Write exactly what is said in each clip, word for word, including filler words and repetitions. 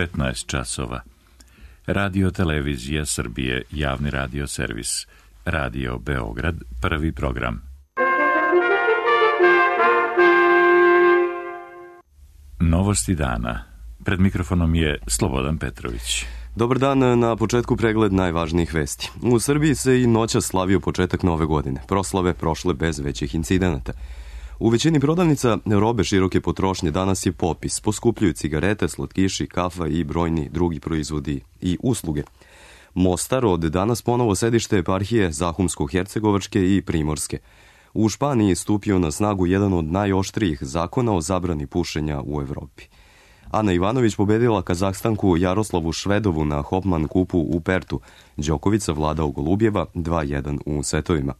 petnaest časova. Radio Televizija Srbije, javni radio servis. Radio Beograd, prvi program. Novosti dana. Pred mikrofonom je Slobodan Petrović. Dobar dan, na početku pregled najvažnijih vesti. U Srbiji se i noćas slavio početak nove godine. Proslave prošle bez većih incidenata. U većini prodavnica robe široke potrošnje danas je popis. Poskupljuju cigarete, slatkiši, kafa i brojni drugi proizvodi i usluge. Mostar od danas ponovo sedište eparhije Zahumsko-Hercegovačke i Primorske. U Španiji stupio na snagu jedan od najoštrijih zakona o zabrani pušenja u Evropi. Ana Ivanović pobedila Kazahstanku Jaroslavu Švedovu na Hopman kupu u Pertu. Đoković vladao Golubjeva dva jedan u setovima.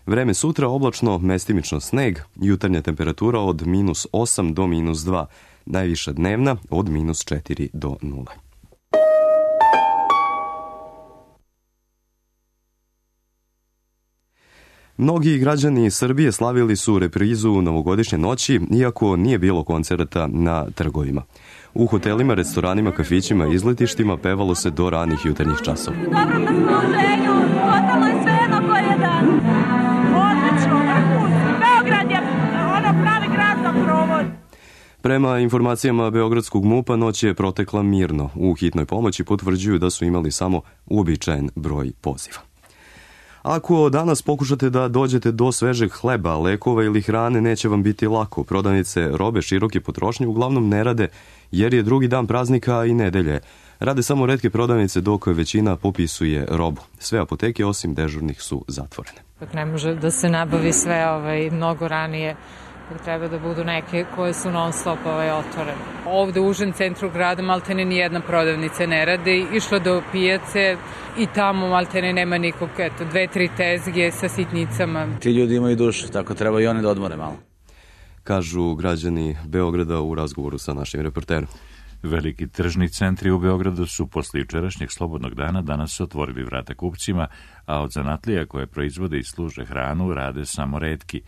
Vreme sutra oblačno, mestimično sneg, jutarnja temperatura od minus osam do minus dva, najviša dnevna od minus četiri do nula. Mnogi građani Srbije slavili su reprizu novogodišnje noći, iako nije bilo koncerata na trgovima. U hotelima, restoranima, kafićima i izletištima pevalo se do ranih jutarnjih časova. Dobro raspoloženju, ostalo je sve jednako jedan. Odlično, vrhunski. Beograd je ono pravi grad za provod. Prema informacijama Beogradskog MUP-a noć je protekla mirno. U hitnoj pomoći potvrđuju da su imali samo uobičajen broj poziva. Ako danas pokušate da dođete do svežeg hleba, lekova ili hrane, neće vam biti lako. Prodavnice robe široke potrošnje uglavnom ne rade jer je drugi dan praznika i nedelje. Rade samo retke prodavnice dok većina popisuje robu. Sve apoteke osim dežurnih su zatvorene. Ne može da se nabavi sve ovaj, mnogo ranije. Treba da budu neke koje su non stop ovaj, otvorene. Ovde u užem centru grada maltene nijedna prodavnica ne radi. Išla do pijace i tamo maltene nema nikog, eto, dve, tri tezge sa sitnicama. Ti ljudi imaju dušu, tako treba i oni da odmore malo. Kažu građani Beograda u razgovoru sa našim reporterom. Veliki tržni centri u Beogradu su posle jučerašnjeg slobodnog dana danas otvorili vrata kupcima, a od zanatlija koje proizvode i služe hranu rade samo retki.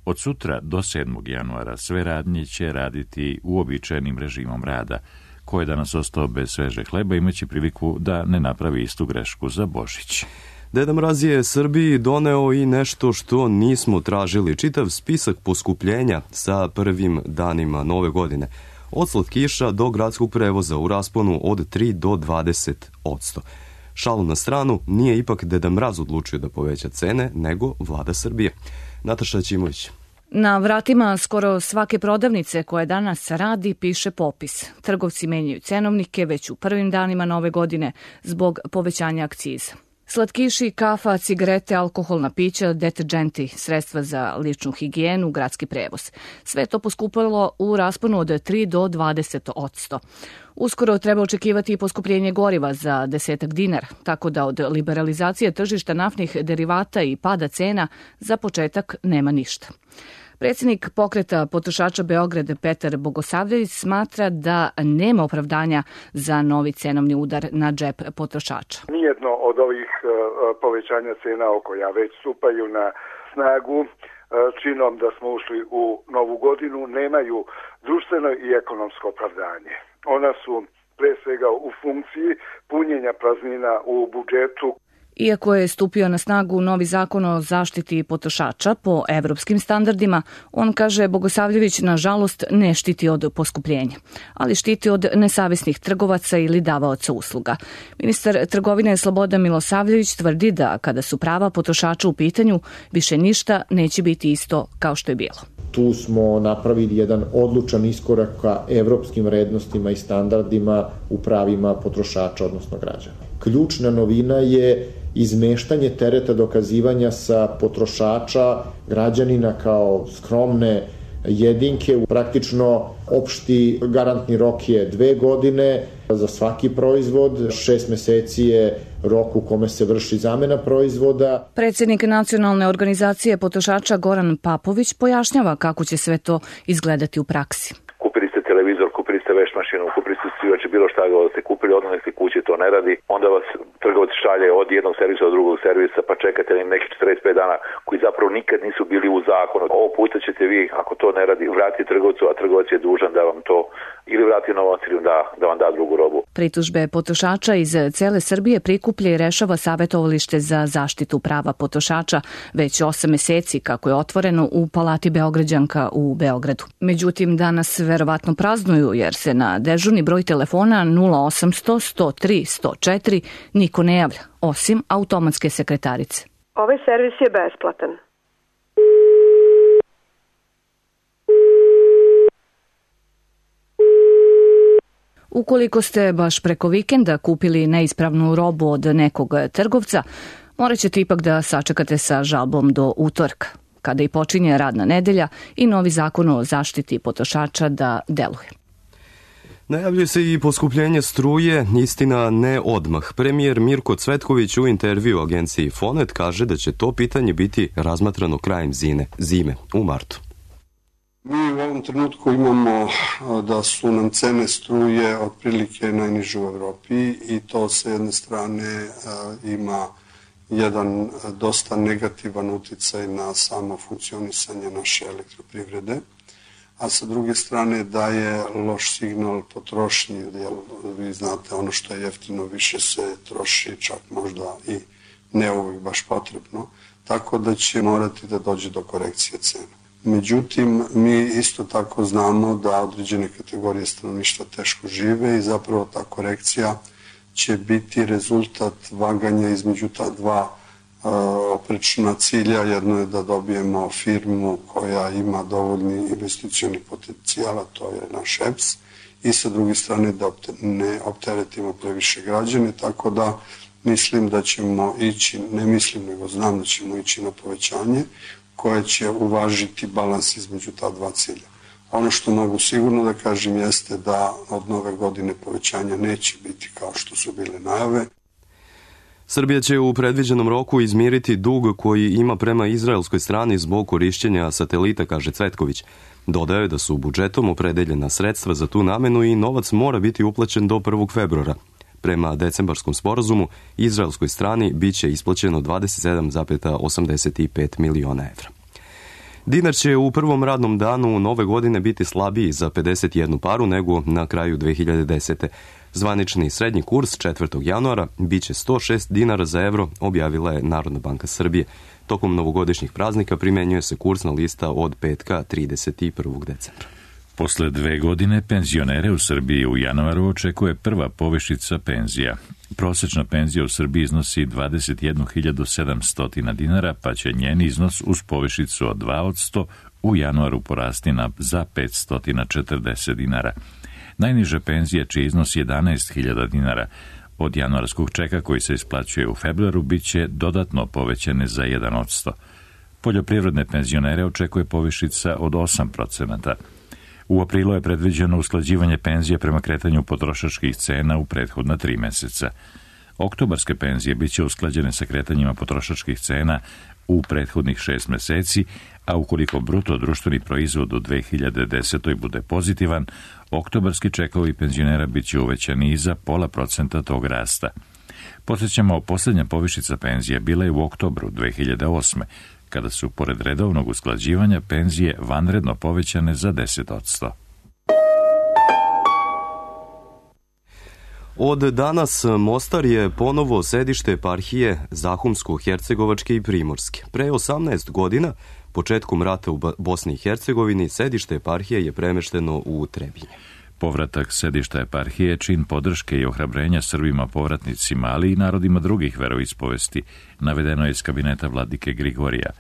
Od sutra do sedmog januara sve radnje će raditi uobičajenim režimom rada. Ko je danas ostao bez sveže hleba imaće priliku da ne napravi istu grešku za Božić. Deda Mraz je Srbiji doneo i nešto što nismo tražili. Čitav spisak poskupljenja sa prvim danima nove godine. Od slatkiša do gradskog prevoza u rasponu od tri do dvadeset odsto. Šalu na stranu, nije ipak Deda Mraz odlučio da poveća cene, nego vlada Srbije. Nataša Ćimović. Na vratima skoro svake prodavnice koje danas radi piše popis. Trgovci menjaju cenovnike već u prvim danima nove godine zbog povećanja akciza. Slatkiši, kafa, cigarete, alkoholna pića, deterdženti, sredstva za ličnu higijenu, gradski prevoz. Sve to poskupilo u rasponu od tri do dvadeset odsto. Uskoro treba očekivati i poskupljenje goriva za desetak dinara, tako da od liberalizacije tržišta naftnih derivata i pada cena za početak nema ništa. Predsjednik pokreta potrošača Beograd Petar Bogosavljević smatra da nema opravdanja za novi cenovni udar na džep potrošača. Nijedno od ovih povećanja cena koja već stupaju na snagu činom da smo ušli u novu godinu nemaju društveno i ekonomsko opravdanje. Ona su pre svega u funkciji punjenja praznina u budžetu. Iako je stupio na snagu novi zakon o zaštiti potrošača po evropskim standardima, on, kaže Bogosavljević, nažalost ne štiti od poskupljenja, ali štiti od nesavesnih trgovaca ili davaoca usluga. Ministar trgovine Slobodan Milosavljević tvrdi da kada su prava potrošača u pitanju, više ništa neće biti isto kao što je bilo. Tu smo napravili jedan odlučan iskorak ka evropskim vrednostima i standardima u pravima potrošača, odnosno građana. Ključna novina je izmeštanje tereta dokazivanja sa potrošača, građanina kao skromne jedinke. Praktično opšti garantni rok je dve godine za svaki proizvod, šest meseci je rok u kome se vrši zamena proizvoda. Predsjednik Nacionalne organizacije potrošača Goran Papović pojašnjava kako će sve to izgledati u praksi. Kupili ste televizor, kupili ste veš mašinu, kupili ste svijače, bilo šta da ste kupili, odmah ste kući servisi to ne radi, onda vas trgovac šalje od jednog servisa do drugog servisa, pa čekate nekih četrdeset pet dana koji zapravo nikad nisu bili u zakonu. Ovo puta ćete vi, ako to ne radi, vratiti trgovcu, a trgovac je dužan da vam to ili vrati novac ili da, da vam da drugu robu. Pritužbe potrošača iz cele Srbije prikuplja i rešava Savetovalište za zaštitu prava potrošača već osam meseci kako je otvoreno u Palati Beograđanka u Beogradu. Međutim, danas verovatno praznuju jer se na dežurni broj telefona nula osamsto sto tri sto četiri niko ne javlja, osim automatske sekretarice. Ovaj servis je besplatan. Ukoliko ste baš preko vikenda kupili neispravnu robu od nekog trgovca, morat ćete ipak da sačekate sa žalbom do utorka, kada i počinje radna nedelja i novi zakon o zaštiti potrošača da deluje. Najavljuje se i poskupljenje struje, istina ne odmah. Premijer Mirko Cvetković u intervju agenciji Fonet kaže da će to pitanje biti razmatrano krajem zime, zime u martu. Mi u ovom trenutku imamo da su nam cene struje otprilike najniže u Evropi i to sa jedne strane ima jedan dosta negativan uticaj na samo funkcionisanje naše elektroprivrede, a sa druge strane daje loš signal potrošnji, jer vi znate ono što je jeftino više se troši, čak možda i ne uvijek baš potrebno, tako da će morati da dođe do korekcije cena. Međutim, mi isto tako znamo da određene kategorije stanovništva teško žive i zapravo ta korekcija će biti rezultat vaganja između ta dva uh, oprečna cilja. Jedno je da dobijemo firmu koja ima dovoljni investicioni potencijal, a to je naš E P S, i sa druge strane da ne opteretimo previše građane, tako da mislim da ćemo ići, ne mislim nego znam da ćemo ići na povećanje koje će uvažiti balans između ta dva cilja. Ono što mogu sigurno da kažem jeste da od nove godine povećanja neće biti kao što su bile najave. Srbija će u predviđenom roku izmiriti dug koji ima prema izraelskoj strani zbog korišćenja satelita, kaže Cvetković. Dodaje da su budžetom opredeljena sredstva za tu namenu i novac mora biti uplaćen do prvog februara. Prema decembarskom sporazumu, izraelskoj strani biće isplaćeno dvadeset sedam zarez osamdeset pet miliona evra. Dinar će u prvom radnom danu nove godine biti slabiji za pedeset jednu paru nego na kraju dve hiljade desete. Zvanični srednji kurs četvrtog januara biće sto šest dinara za evro, objavila je Narodna banka Srbije. Tokom novogodišnjih praznika primenjuje se kursna lista od petka trideset prvog decembra. Posle dve godine penzionere u Srbiji u januaru očekuje prva povišica penzija. Prosečna penzija u Srbiji iznosi dvadeset jednu hiljadu sedamsto dinara, pa će njen iznos uz povišicu od dva posto u januaru porasti na za petsto četrdeset dinara. Najniže penzije, čiji iznos jedanaest hiljada dinara, od januarskog čeka koji se isplaćuje u februaru, bit će dodatno povećane za jedan posto. Poljoprivredne penzionere očekuje povišica od osam procenata. U aprilu je predviđeno usklađivanje penzije prema kretanju potrošačkih cena u prethodna tri meseca. Oktobarske penzije bit će usklađene sa kretanjima potrošačkih cena u prethodnih šest meseci, a ukoliko bruto društveni proizvod u dve hiljade desetoj bude pozitivan, oktobarski čekovi penzionera bit će uvećani i za pola procenta tog rasta. Podsjećamo, posljednja povišica penzija bila je u oktobru dve hiljade osme, kada su, pored redovnog usklađivanja, penzije vanredno povećane za deset posto. Od danas Mostar je ponovo sedište eparhije Zahumsko-Hercegovačke i Primorske. Pre osamnaest godina, početkom rata u Bosni i Hercegovini, sedište eparhije je premešteno u Trebinje. Povratak sedišta eparhije, čin podrške i ohrabrenja Srbima povratnicima, ali i narodima drugih veroispovesti, navedeno je iz kabineta vladike Grigorija.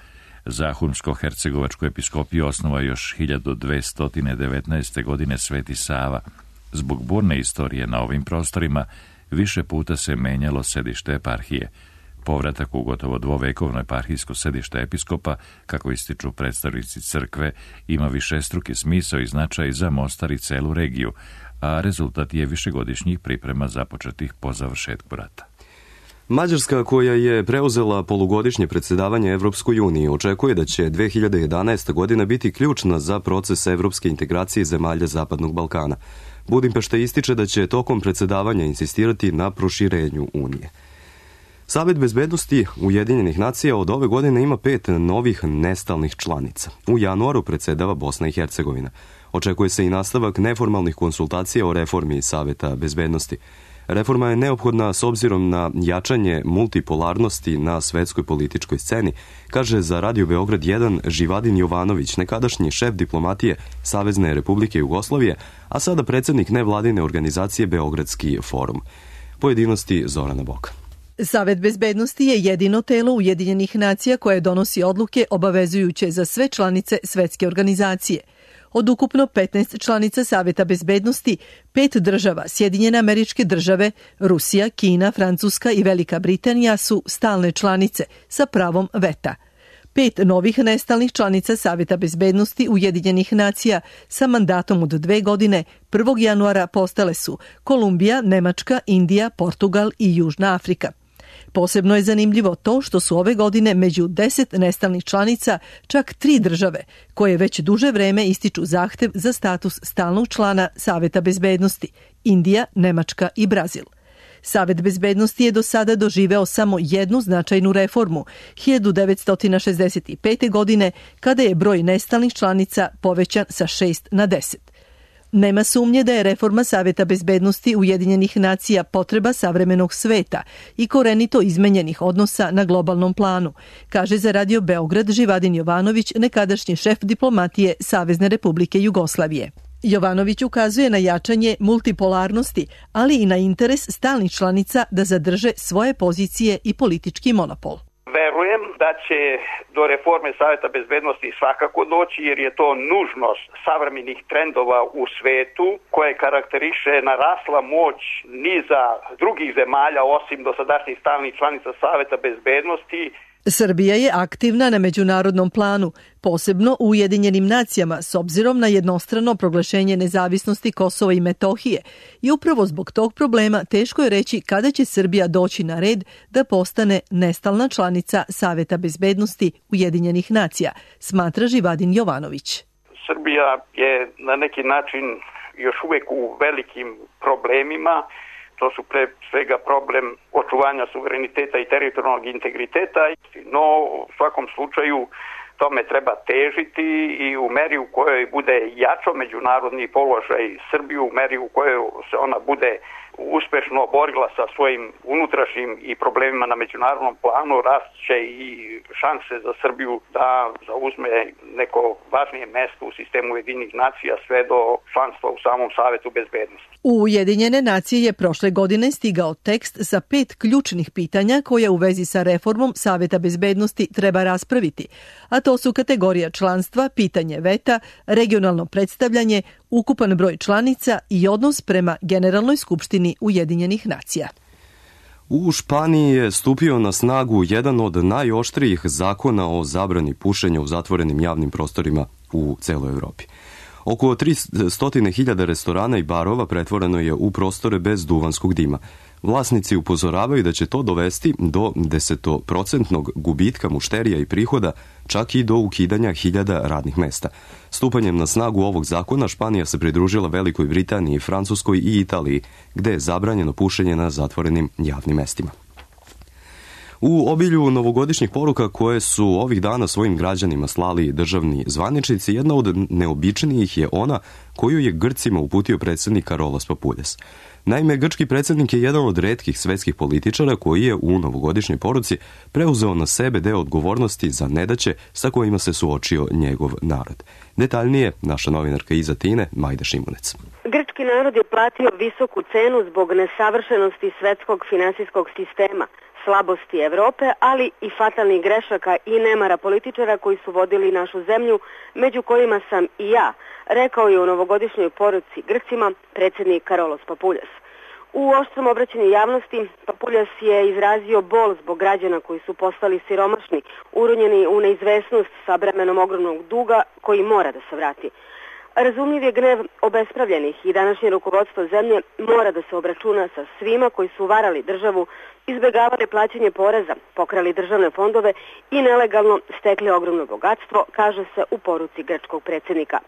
Zahumsko-Hercegovačku episkopiju osnova još hiljadu dvesta devetnaeste. godine Sveti Sava. Zbog burne istorije na ovim prostorima više puta se menjalo sedište eparhije. Povratak u gotovo dvovekovno eparhijsko sedište episkopa, kako ističu predstavnici crkve, ima višestruki smisao i značaj za Mostar i celu regiju, a rezultat je višegodišnjih priprema započetih po završetku rata. Mađarska, koja je preuzela polugodišnje predsjedavanje Evropskoj uniji, očekuje da će dve hiljade jedanaesta. godina biti ključna za proces evropske integracije zemalja Zapadnog Balkana. Budimpešta ističe da će tokom predsedavanja insistirati na proširenju Unije. Savet bezbednosti Ujedinjenih nacija od ove godine ima pet novih nestalnih članica. U januaru predsedava Bosna i Hercegovina. Očekuje se i nastavak neformalnih konsultacija o reformi Saveta bezbednosti. Reforma je neophodna s obzirom na jačanje multipolarnosti na svetskoj političkoj sceni, kaže za Radio Beograd jedan Živadin Jovanović, nekadašnji šef diplomatije Savezne Republike Jugoslavije, a sada predsednik nevladine organizacije Beogradski forum. Pojedinosti Zorana Boka. Savet bezbednosti je jedino telo Ujedinjenih nacija koje donosi odluke obavezujuće za sve članice svetske organizacije. Od ukupno petnaest članica Saveta bezbednosti, pet država, Sjedinjene Američke Države, Rusija, Kina, Francuska i Velika Britanija su stalne članice sa pravom veta. Pet novih nestalnih članica Saveta bezbednosti Ujedinjenih nacija sa mandatom od dve godine prvog januara postale su Kolumbija, Nemačka, Indija, Portugal i Južna Afrika. Posebno je zanimljivo to što su ove godine među deset nestalnih članica čak tri države koje već duže vreme ističu zahtev za status stalnog člana Saveta bezbednosti: Indija, Nemačka i Brazil. Savet bezbednosti je do sada doživeo samo jednu značajnu reformu, hiljadu devetsto šezdeset pete. godine, kada je broj nestalnih članica povećan sa šest na deset. Nema sumnje da je reforma Saveta bezbednosti Ujedinjenih nacija potreba savremenog sveta i korenito izmenjenih odnosa na globalnom planu, kaže za Radio Beograd Živadin Jovanović, nekadašnji šef diplomatije Savezne Republike Jugoslavije. Jovanović ukazuje na jačanje multipolarnosti, ali i na interes stalnih članica da zadrže svoje pozicije i politički monopol. Verujem da će do reforme Saveta bezbednosti svakako doći, jer je to nužnost savremenih trendova u svetu koje karakteriše narasla moć niza drugih zemalja osim dosadašnjih stalnih članica Saveta bezbednosti. Srbija je aktivna na međunarodnom planu, posebno u Ujedinjenim nacijama, s obzirom na jednostrano proglašenje nezavisnosti Kosova i Metohije, i upravo zbog tog problema teško je reći kada će Srbija doći na red da postane nestalna članica Saveta bezbednosti Ujedinjenih nacija, smatra Živadin Jovanović. Srbija je na neki način još uvek u velikim problemima. To su pre svega problem očuvanja suvereniteta i teritorijalnog integriteta, no u svakom slučaju tome treba težiti i u meri u kojoj bude jačo međunarodni položaj Srbije, u meri u kojoj se ona bude uspešno borila sa svojim unutrašnjim i problemima na međunarodnom planu, rast će i šanse za Srbiju da zauzme neko važnije mesto u sistemu Ujedinjenih nacija sve do članstva u samom Savetu bezbednosti. U Ujedinjene nacije je prošle godine stigao tekst sa pet ključnih pitanja koje u vezi sa reformom Saveta bezbednosti treba raspraviti, a to su kategorija članstva, pitanje veta, regionalno predstavljanje, ukupan broj članica i odnos prema Generalnoj skupštini Ujedinjenih nacija. U Španiji je stupio na snagu jedan od najoštrijih zakona o zabrani pušenja u zatvorenim javnim prostorima u celoj Evropi. Oko tristo hiljada restorana i barova pretvoreno je u prostore bez duvanskog dima. Vlasnici upozoravaju da će to dovesti do desetoprocentnog gubitka mušterija i prihoda, čak i do ukidanja hiljada radnih mesta. Stupanjem na snagu ovog zakona Španija se pridružila Velikoj Britaniji, Francuskoj i Italiji, gde je zabranjeno pušenje na zatvorenim javnim mestima. U obilju novogodišnjih poruka koje su ovih dana svojim građanima slali državni zvaničnici, jedna od neobičnijih je ona koju je Grcima uputio predsednik Karolos Papuljas. Naime, grčki predsednik je jedan od retkih svetskih političara koji je u novogodišnjoj poruci preuzeo na sebe deo odgovornosti za nedaće sa kojima se suočio njegov narod. Detaljnije, naša novinarka iz Atine, Majda Šimunec. Grčki narod je platio visoku cenu zbog nesavršenosti svetskog finansijskog sistema, slabosti Evrope, ali i fatalnih grešaka i nemara političara koji su vodili našu zemlju, među kojima sam i ja, rekao je u novogodišnjoj poruci Grcima predsednik Karolos Papuljas. U oštrom obraćanju javnosti Papuljas je izrazio bol zbog građana koji su postali siromašni, uronjeni u neizvesnost sa bremenom ogromnog duga koji mora da se vrati. Razumljiv je gnev obespravljenih i današnje rukovodstvo zemlje mora da se obračuna sa svima koji su varali državu, izbegavali plaćanje poreza, pokrali državne fondove i nelegalno stekli ogromno bogatstvo, kaže se u poruci grčkog predsednika.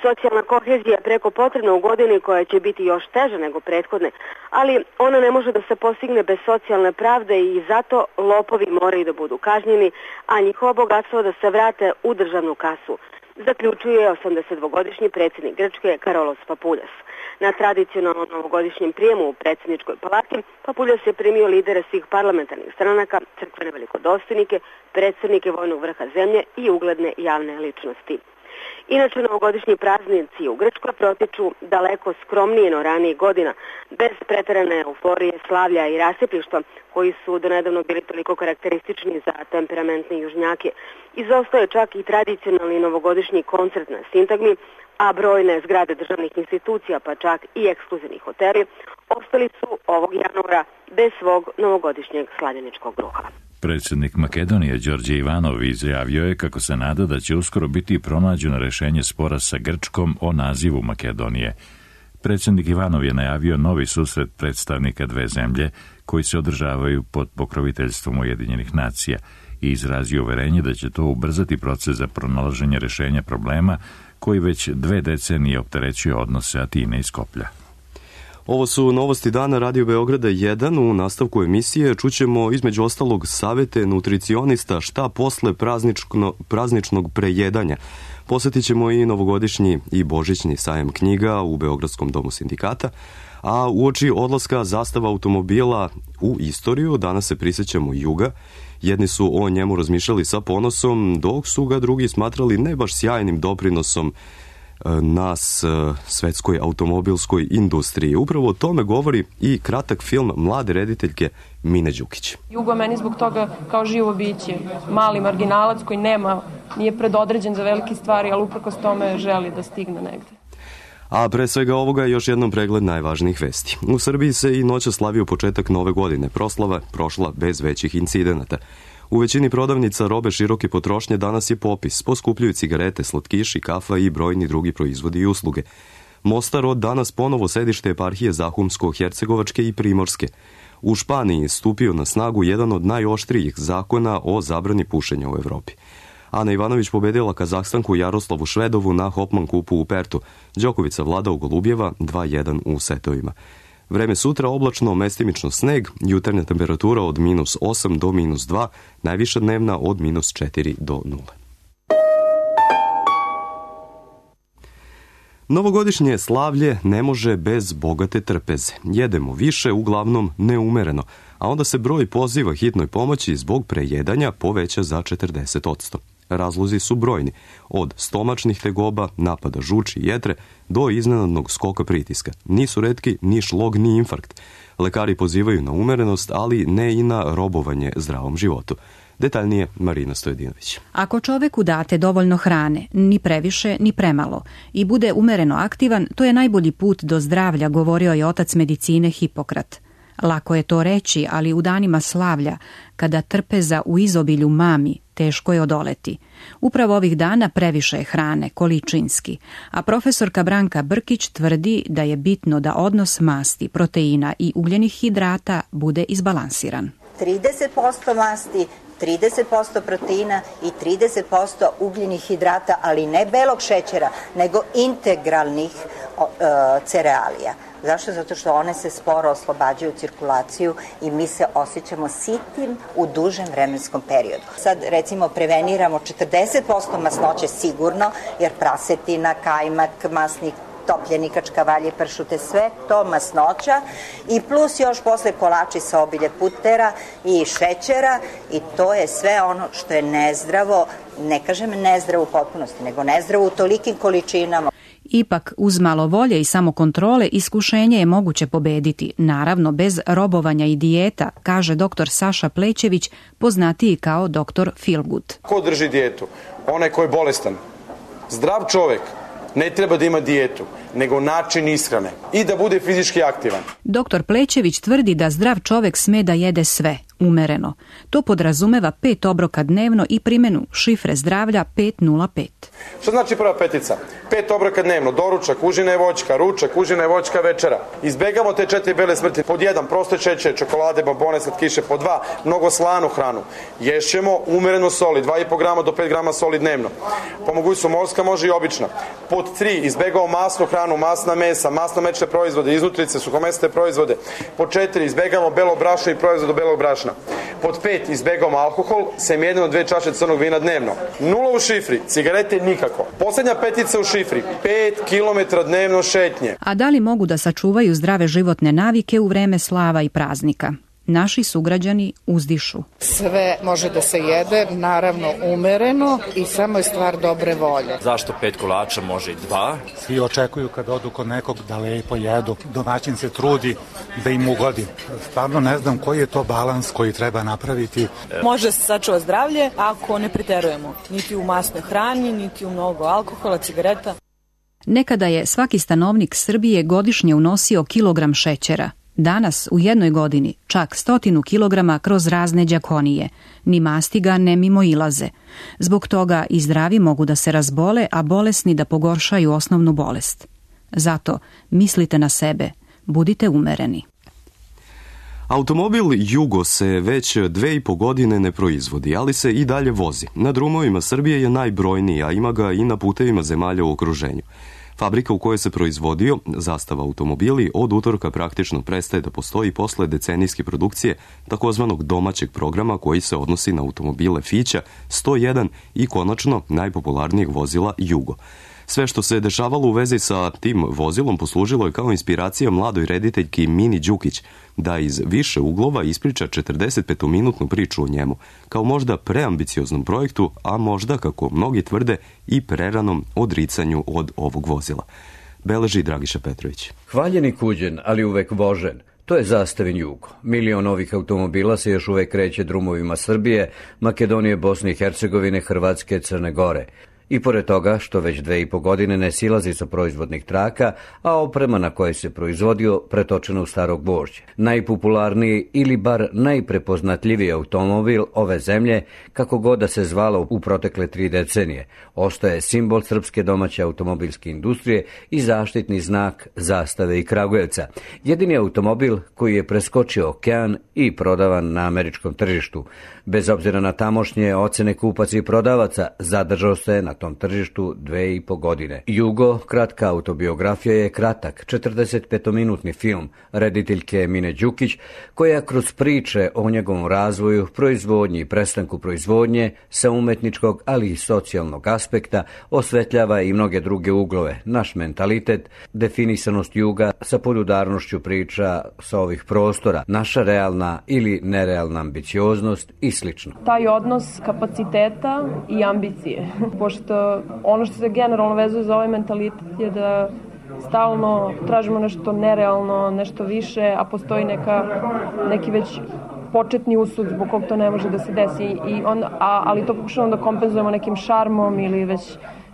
Socijalna kohezija je preko potrebna u godini koja će biti još teža nego prethodne, ali ona ne može da se postigne bez socijalne pravde i zato lopovi moraju da budu kažnjeni, a njihovo bogatstvo da se vrate u državnu kasu, zaključuje osamdesetdvogodišnji predsjednik Grčke Karolos Papuljas. Na tradicionalnom novogodišnjem prijemu u predsjedničkoj palati Papuljas je primio lidere svih parlamentarnih stranaka, crkvene velikodostojnike, predsjednike vojnog vrha zemlje i ugledne javne ličnosti. Inače, novogodišnji praznici u Grčkoj protiču daleko skromnije no ranijih godina, bez preterane euforije, slavlja i rasipništva, koji su donedavno bili toliko karakteristični za temperamentne južnjake. Izostaje čak i tradicionalni novogodišnji koncert na sintagmi, a brojne zgrade državnih institucija, pa čak i ekskluzivni hoteli, ostali su ovog januara bez svog novogodišnjeg slavljeničkog ruha. Predsjednik Makedonije Đorđe Ivanov izjavio je kako se nada da će uskoro biti pronađeno rešenje spora sa Grčkom o nazivu Makedonije. Predsjednik Ivanov je najavio novi susret predstavnika dve zemlje koji se održavaju pod pokroviteljstvom Ujedinjenih nacija i izrazio uverenje da će to ubrzati proces za pronalaženje rešenja problema koji već dve decenije opterećuje odnose Atine i Skoplja. Ovo su novosti dana Radio Beograda jedan. U nastavku emisije čućemo između ostalog savete nutricionista šta posle praznično, prazničnog prejedanja. Posjetit ćemo i novogodišnji i božićni sajam knjiga u Beogradskom domu sindikata, a uoči odlaska zastava automobila u istoriju danas se prisjećamo Juga. Jedni su o njemu razmišljali sa ponosom, dok su ga drugi smatrali ne baš sjajnim doprinosom nas svetskoj automobilskoj industriji. Upravo o tome govori i kratak film mlade rediteljke Mine Đukić. Jugo meni zbog toga kao živo biće, mali marginalac koji nema, nije predodređen za velike stvari, ali uprkos tome želi da stigne negde. A pre svega ovoga još jednom pregled najvažnijih vesti. U Srbiji se i noća slavio početak nove godine. Proslava prošla bez većih incidenata. U većini prodavnica robe široke potrošnje danas je popis. Poskupljuju cigarete, slatkiši, kafa i brojni drugi proizvodi i usluge. Mostar od danas ponovo sedište eparhije Zahumsko-Hercegovačke i Primorske. U Španiji stupio na snagu jedan od najoštrijih zakona o zabrani pušenja u Evropi. Ana Ivanović pobedila Kazahstanku Jaroslavu Švedovu na Hopman kupu u Pertu. Đokovica vlada u Golubjeva dva jedan u setovima. Vreme sutra oblačno, mestimično sneg, jutarnja temperatura od minus osam do minus dva, najviša dnevna od minus četiri do nula. Novogodišnje slavlje ne može bez bogate trpeze. Jedemo više, uglavnom neumereno, a onda se broj poziva hitnoj pomoći zbog prejedanja poveća za četrdeset posto. Razlozi su brojni, od stomačnih tegoba, napada žuči i jetre, do iznenadnog skoka pritiska. Nisu retki ni šlog ni infarkt. Lekari pozivaju na umerenost, ali ne i na robovanje zdravom životu. Detaljnije Marina Stojedinović. Ako čoveku date dovoljno hrane, ni previše ni premalo, i bude umereno aktivan, to je najbolji put do zdravlja, govorio je otac medicine Hipokrat. Lako je to reći, ali u danima slavlja, kada trpeza u izobilju mami, teško je odoleti. Upravo ovih dana previše je hrane, količinski, a profesorka Branka Brkić tvrdi da je bitno da odnos masti, proteina i ugljenih hidrata bude izbalansiran. trideset posto masti, trideset posto proteina i trideset posto ugljenih hidrata, ali ne belog šećera, nego integralnih uh, cerealija. Zašto? Zato što one se sporo oslobađaju cirkulaciju i mi se osjećamo sitim u dužem vremenskom periodu. Sad recimo preveniramo četrdeset posto masnoće sigurno, jer prasetina, kajmak, masni topljeni kačkavalje, pršute, sve to masnoća i plus još posle kolači sa obilje putera i šećera i to je sve ono što je nezdravo, ne kažem nezdravo u potpunosti, nego nezdravo u tolikim količinama. Ipak, uz malo volje i samokontrole, iskušenje je moguće pobediti, naravno bez robovanja i dijeta, kaže doktor Saša Plećević, poznatiji kao doktor Feelgood. Ko drži dijetu? Onaj ko je bolestan. Zdrav čovek ne treba da ima dijetu. nego način ishrane i da bude fizički aktivan. Doktor Plećević tvrdi da zdrav čovek sme da jede sve, umereno. To podrazumeva pet obroka dnevno i primjenu šifre zdravlja pet nula pet. Što znači prva petica? Pet obroka dnevno, doručak, užina i voćka, ručak, užina i voćka, večera. Izbegamo te četiri bele smrti. Pod jedan, proste čeće, čokolade, bombone, slatkiše. Pod dva, mnogo slanu hranu. Ješćemo umereno soli, dva i po grama do pet grama soli dnevno. Po mogućstvu morska, može i obična. Pod tri, izbegamo masnu hranu, masna mesa, masno mlečne proizvode, iznutrice, suhomesne proizvode. Pod četiri, izbegamo belo brašno i proizvod od belog brašna. Pod pet, izbegamo alkohol, sem jedno dve čaše crnog vina dnevno. Nula u šifri, cigarete nikako. Poslednja petica u šifri, pet kilometara dnevno šetnje. A da li mogu da sačuvaju zdrave životne navike u vreme slava i praznika? Naši sugrađani uzdišu. Sve može da se jede, naravno umereno i samo je stvar dobre volje. Zašto pet kolača, može i dva? Svi očekuju kad odu kod nekog da lepo jedu. Domaćin se trudi da im ugodi. Stvarno ne znam koji je to balans koji treba napraviti. Može se sačuva zdravlje ako ne preterujemo. Niti u masnoj hrani, niti u mnogo alkohola, cigareta. Nekada je svaki stanovnik Srbije godišnje unosio kilogram šećera. Danas u jednoj godini čak stotinu kilograma kroz razne đakonije. Ni mastiga ne mimo ilaze. Zbog toga i zdravi mogu da se razbole, a bolesni da pogoršaju osnovnu bolest. Zato mislite na sebe, budite umereni. Automobil Jugo se već dve i po godine ne proizvodi, ali se i dalje vozi. Na drumovima Srbije je najbrojniji, a ima ga i na putevima zemalja u okruženju. Fabrika u kojoj se proizvodio Zastava automobili od utorka praktično prestaje da postoji posle decenijske produkcije takozvanog domaćeg programa koji se odnosi na automobile Fića sto jedan i konačno najpopularnijeg vozila Jugo. Sve što se dešavalo u vezi sa tim vozilom poslužilo je kao inspiracija mladoj rediteljki Mini Đukić da iz više uglova ispriča četrdesetpetominutnu priču o njemu, kao možda preambicioznom projektu, a možda, kako mnogi tvrde, i preranom odricanju od ovog vozila. Beleži Dragiša Petrović. Hvaljeni kuđen, ali uvek vožen. To je Zastavin Jugo. Milion ovih automobila se još uvek kreće drumovima Srbije, Makedonije, Bosne i Hercegovine, Hrvatske, Crne Gore. I pored toga što već dve i po godine ne silazi sa proizvodnih traka, a oprema na kojoj se proizvodio pretočena u staro gvožđe. Najpopularniji ili bar najprepoznatljiviji automobil ove zemlje, kako god da se zvalo u protekle tri decenije, ostaje simbol srpske domaće automobilske industrije i zaštitni znak Zastave i Kragujevca. Jedini automobil koji je preskočio okean i prodavan na američkom tržištu. Bez obzira na tamošnje ocene kupaca i prodavaca, zadržao se na tom tržištu dve i po godine. Jugo, kratka autobiografija, je kratak, četrdesetpetominutni film rediteljke Mine Đukić, koja kroz priče o njegovom razvoju, proizvodnji i prestanku proizvodnje sa umetničkog, ali i socijalnog aspekta osvetljava i mnoge druge uglove, naš mentalitet, definisanost juga sa podudarnošću priča sa ovih prostora, naša realna ili nerealna ambicioznost i slično. Taj odnos kapaciteta i ambicije, pošto ono što se generalno vezuje za ovaj mentalitet je da stalno tražimo nešto nerealno, nešto više, a postoji neka, neki već početni usud zbog kog to ne može da se desi, i on, a, ali to pokušavamo da kompenzujemo nekim šarmom ili već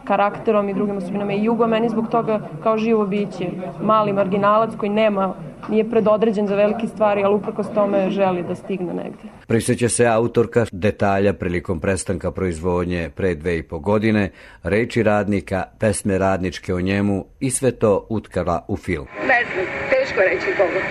karakterom i drugim osobinama. I Jugo meni zbog toga kao živo biće, mali marginalac koji nema, nije predodređen za velike stvari, ali uprkos tome želi da stigne negde. Prisjeća se autorka detalja prilikom prestanka proizvodnje pre dve i po godine, reči radnika, pesme radničke o njemu i sve to utkala u film. Ne znam, teško reći zbogom.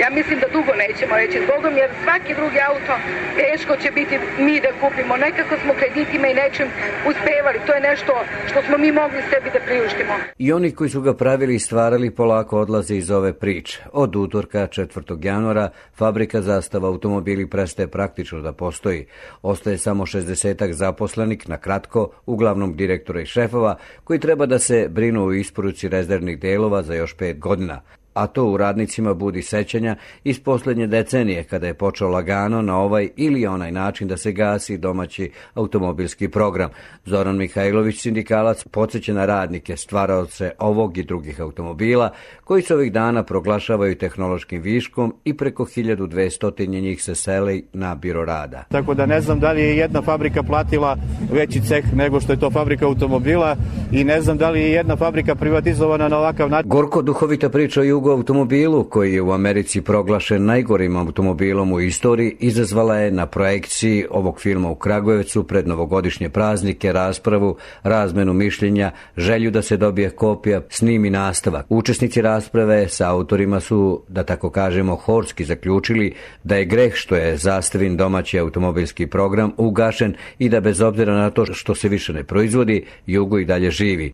Ja mislim da dugo nećemo reći zbogom, jer svaki drugi auto teško će biti mi da kupimo. Nekako smo kreditima i nečim uspevali. To je nešto što smo mi mogli sebi da priuštimo. I oni koji su ga pravili i stvarali polako odlaze iz ove priče. Od utorka četvrtog januara fabrika Zastava automobili prestaje praktično da postoji. Ostaje samo šezdesetak zaposlenik, na kratko, uglavnom direktora i šefova, koji treba da se brinu o isporuci rezervnih delova za još pet godina. A to u radnicima budi sećanja iz posljednje decenije, kada je počeo lagano na ovaj ili onaj način da se gasi domaći automobilski program. Zoran Mihajlović, sindikalac, podsjeća na radnike, stvaraoce ovog i drugih automobila, koji se ovih dana proglašavaju tehnološkim viškom i preko hiljadu dvesta njih se seli na biro rada. Tako da ne znam da li je jedna fabrika platila veći ceh nego što je to fabrika automobila, i ne znam da li je jedna fabrika privatizovana na ovakav način. Gorko duhovita priča o Jugo automobilu, koji je u Americi proglašen najgorim automobilom u istoriji, izazvala je na projekciji ovog filma u Kragujevcu pred novogodišnje praznike raspravu, razmenu mišljenja, želju da se dobije kopija, snimi nastavak. Učesnici rasprave sa autorima su, da tako kažemo, horski zaključili da je greh što je Zastavin domaći automobilski program ugašen i da bez obzira na to što se više ne proizvodi, Jugo i dalje živi.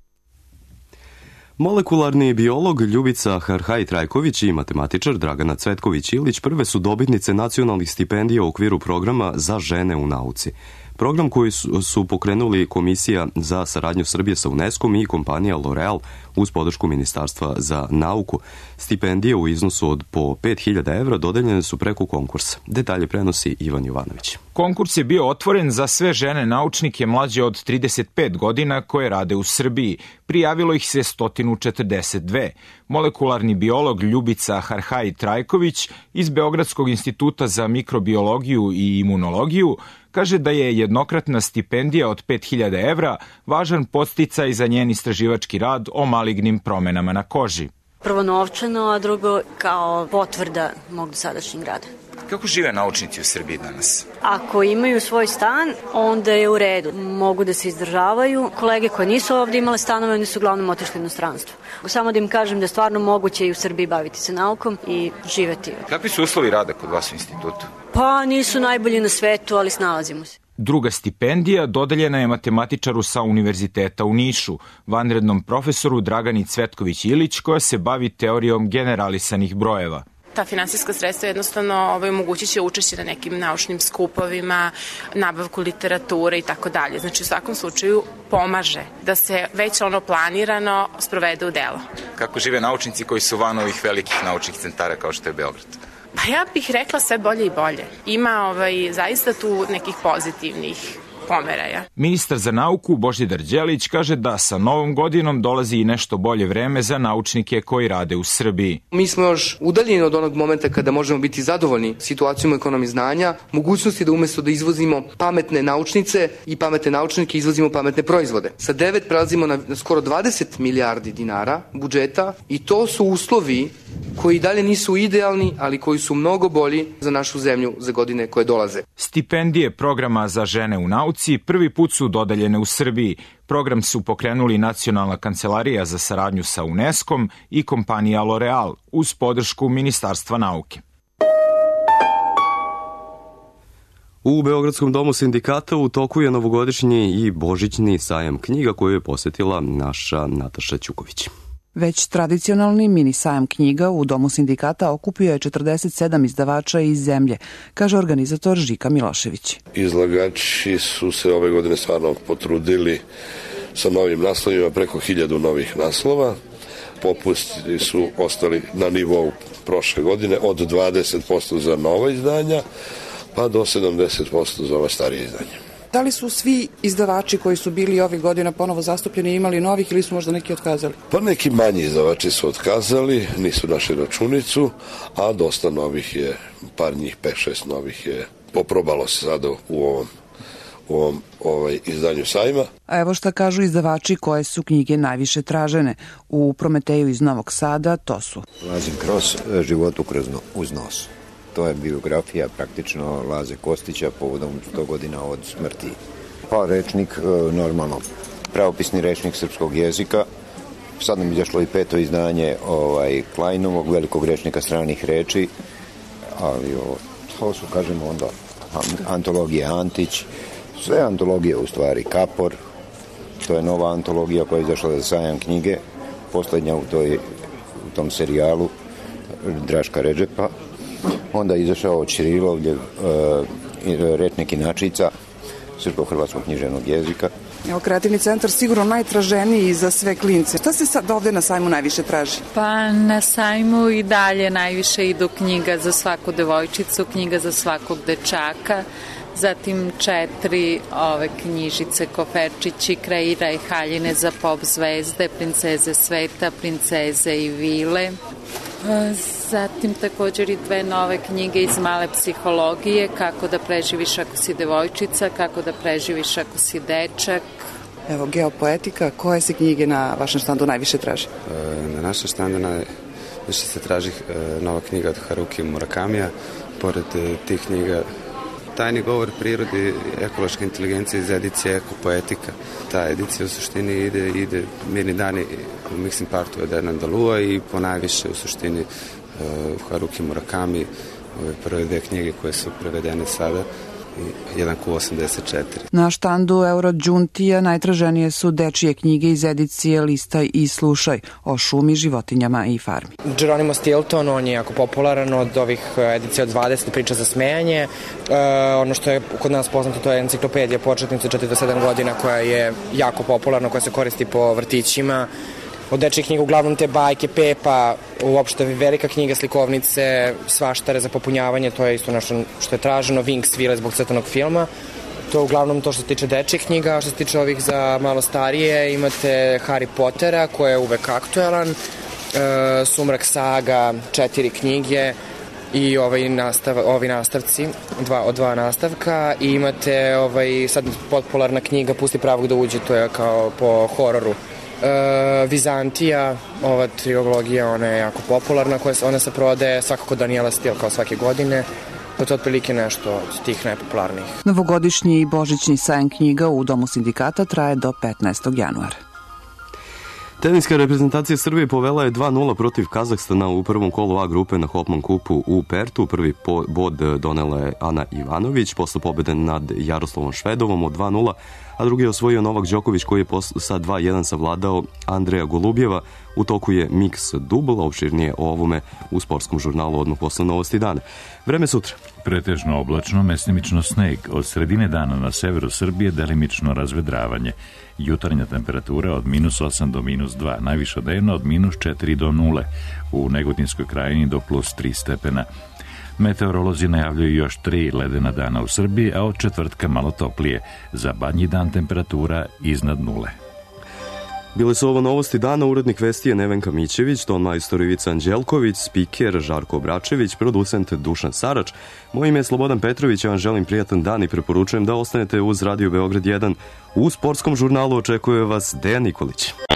Molekularni biolog Ljubica Harhaj-Trajković i matematičar Dragana Cvetković-Ilić prve su dobitnice nacionalnih stipendija u okviru programa za žene u nauci. Program koji su, su pokrenuli Komisija za saradnju Srbije sa UNESCO i kompanija L'Oreal uz podršku Ministarstva za nauku. Stipendije u iznosu od po pet hiljada evra dodeljene su preko konkursa. Detalje prenosi Ivan Jovanović. Konkurs je bio otvoren za sve žene naučnike mlađe od trideset pet godina koje rade u Srbiji. Prijavilo ih se sto četrdeset dve. Molekularni biolog Ljubica Harhaj-Trajković iz Beogradskog instituta za mikrobiologiju i imunologiju kaže da je jednokratna stipendija od pet hiljada evra važan podsticaj za njen istraživački rad o malignim promenama na koži. Prvo novčano, a drugo kao potvrda mog dosadašnjeg rada. Kako žive naučnici u Srbiji danas? Ako imaju svoj stan, onda je u redu. Mogu da se izdržavaju. Kolege koje nisu ovdje imale stanove, oni su uglavnom otišli u inostranstvo. Samo da im kažem da je stvarno moguće i u Srbiji baviti se naukom i živeti. Kakvi su uslovi rada kod vas u institutu? Pa nisu najbolji na svetu, ali snalazimo se. Druga stipendija dodeljena je matematičaru sa Univerziteta u Nišu, vanrednom profesoru Dragani Cvetković-Ilić, koja se bavi teorijom generalisanih brojeva. Ta finansijska sredstva jednostavno ovaj, omogućit će učešće na nekim naučnim skupovima, nabavku literature i tako dalje. Znači u svakom slučaju pomaže da se već ono planirano sprovede u delo. Kako žive naučnici koji su van ovih velikih naučnih centara kao što je Beograd? Pa ja bih rekla sve bolje i bolje. Ima ovaj, zaista tu nekih pozitivnih pomeraja. Ministar za nauku Božidar Đelić kaže da sa novom godinom dolazi i nešto bolje vreme za naučnike koji rade u Srbiji. Mi smo još udaljeni od onog momenta kada možemo biti zadovoljni situacijom u ekonomiji znanja, mogućnosti da umjesto da izvozimo pametne naučnice i pametne naučnike izvozimo pametne proizvode. Sa devet prelazimo na skoro dvadeset milijardi dinara budžeta i to su uslovi koji dalje nisu idealni, ali koji su mnogo bolji za našu zemlju za godine koje dolaze. Stipendije programa za žene u nauci prvi put su dodeljene u Srbiji. Program su pokrenuli Nacionalna kancelarija za saradnju sa UNESCO-om i kompanija L'Oreal uz podršku Ministarstva nauke. U Beogradskom domu sindikata u toku je novogodišnji i božićni sajam knjiga koju je posjetila naša Nataša Ćuković. Već tradicionalni mini sajam knjiga u Domu sindikata okupio je četrdeset sedam izdavača iz zemlje, kaže organizator Žika Milošević. Izlagači su se ove godine stvarno potrudili sa novim naslovima, preko hiljadu novih naslova. Popusti su ostali na nivou prošle godine od dvadeset posto za nova izdanja, pa do sedamdeset posto za ova starije izdanja. Da li su svi izdavači koji su bili ovih godina ponovo zastupljeni imali novih ili su možda neki otkazali? Pa neki manji izdavači su otkazali, nisu našli računicu, a dosta novih je, par njih, pet šest novih je poprobalo se sada u ovom, u ovom ovaj, izdanju sajma. A evo šta kažu izdavači koje su knjige najviše tražene. U Prometeju iz Novog Sada to su Lazim Kros, Život uz nos. To je biografija praktično Laze Kostića povodom sto godina od smrti. Pa rečnik, normalno, pravopisni rečnik srpskog jezika. Sad nam izašlo i peto izdanje ovaj, Klajnovog, velikog rečnika stranih reči, ali o, to su, kažemo onda, antologije Antić, sve antologije u stvari, Kapor, to je nova antologija koja je izašla za sajam knjige, posljednja u, toj, u tom serijalu Draška Redžepa. Onda je izašao od Ćirilovljev e, rečnik inačica srpsko-hrvatskog književnog jezika. Evo, Kreativni centar sigurno najtraženiji za sve klince. Šta se sad ovdje na sajmu najviše traži? Pa na sajmu i dalje najviše idu knjiga za svaku devojčicu, knjiga za svakog dečaka, zatim četiri ove knjižice Koferčići, Kreira i haljine za pop zvezde, Princeze sveta, Princeze i vile. Zatim također i dve nove knjige iz male psihologije, Kako da preživiš ako si devojčica, Kako da preživiš ako si dečak. Evo, geopoetika, koje se knjige na vašem štandu najviše traži? Na našem štandu najviše se traži nova knjiga od Haruki Murakamija. Pored tih knjiga Tajni govor prirodi, ekološka inteligencija iz edicije Ekopoetika. Ta edicija u suštini ide, ide mirni dani u mixing partu od Hernan Dalua i po najviše u suštini uh, Haruki Murakami, ove prve dve knjige koje su prevedene sada, jedan ku osamdeset četiri. Na štandu Eurođuntija najtraženije su dečije knjige iz edicije Listaj i slušaj o šumi, životinjama i farmi. Geronimo Stilton, on je jako popularan od ovih edicija od dvadeset priča za smejanje. E, ono što je kod nas poznato, to je enciklopedija početnica četiri do sedam godina koja je jako popularna, koja se koristi po vrtićima. Od dečjih knjiga uglavnom te bajke, Pepa, uopšte velika knjiga, slikovnice, svaštare za popunjavanje, to je isto nešto što je traženo, Winx Vile zbog crtanog filma. To je uglavnom to što se tiče dečjih knjiga, što se tiče ovih za malo starije, imate Harry Pottera koji je uvek aktuelan, e, Sumrak saga, četiri knjige i ovaj nastav, ovi nastavci, dva, od dva nastavka i imate ovaj, sad popularna knjiga Pusti pravog da uđe, to je kao po hororu. Uh, Vizantija, ova trilogija, ona je jako popularna, koja, ona se prodaje svakako Daniela Steele kao svake godine. To je otprilike nešto od tih najpopularnijih. Novogodišnji i božićni sajam knjiga u Domu sindikata traje do petnaestog januara. Teniska reprezentacija Srbije povela je dva nula protiv Kazahstana u prvom kolu A grupe na Hopman kupu u Pertu. Prvi bod donela je Ana Ivanović posle pobede nad Jaroslavom Švedovom od dva nula, a drugi je osvojio Novak Đoković koji je sa dva jedan savladao Andreja Golubjeva. U toku je mix dubl, opširnije o ovome u sportskom žurnalu odmah posle Novosti dana. Vreme sutra. Pretežno oblačno, mesnimično sneg. Od sredine dana na severu Srbije delimično razvedravanje. Jutarnja temperatura od minus osam do minus dva, najviša dnevna od minus četiri do nule, u Negotinskoj krajini do plus tri stepena. Meteorolozi najavljuju još tri ledena dana u Srbiji, a od četvrtka malo toplije. Za badnji dan temperatura iznad nule. Bile su ovo Novosti dana, urednik vesti je Nevenka Mićević, ton majstor Ivica Anđelković, spiker Žarko Obračević, producent Dušan Sarač. Moje ime je Slobodan Petrović, ja vam želim prijatan dan i preporučujem da ostanete uz Radio Beograd jedan. U sportskom žurnalu očekuje vas Dejan Nikolić.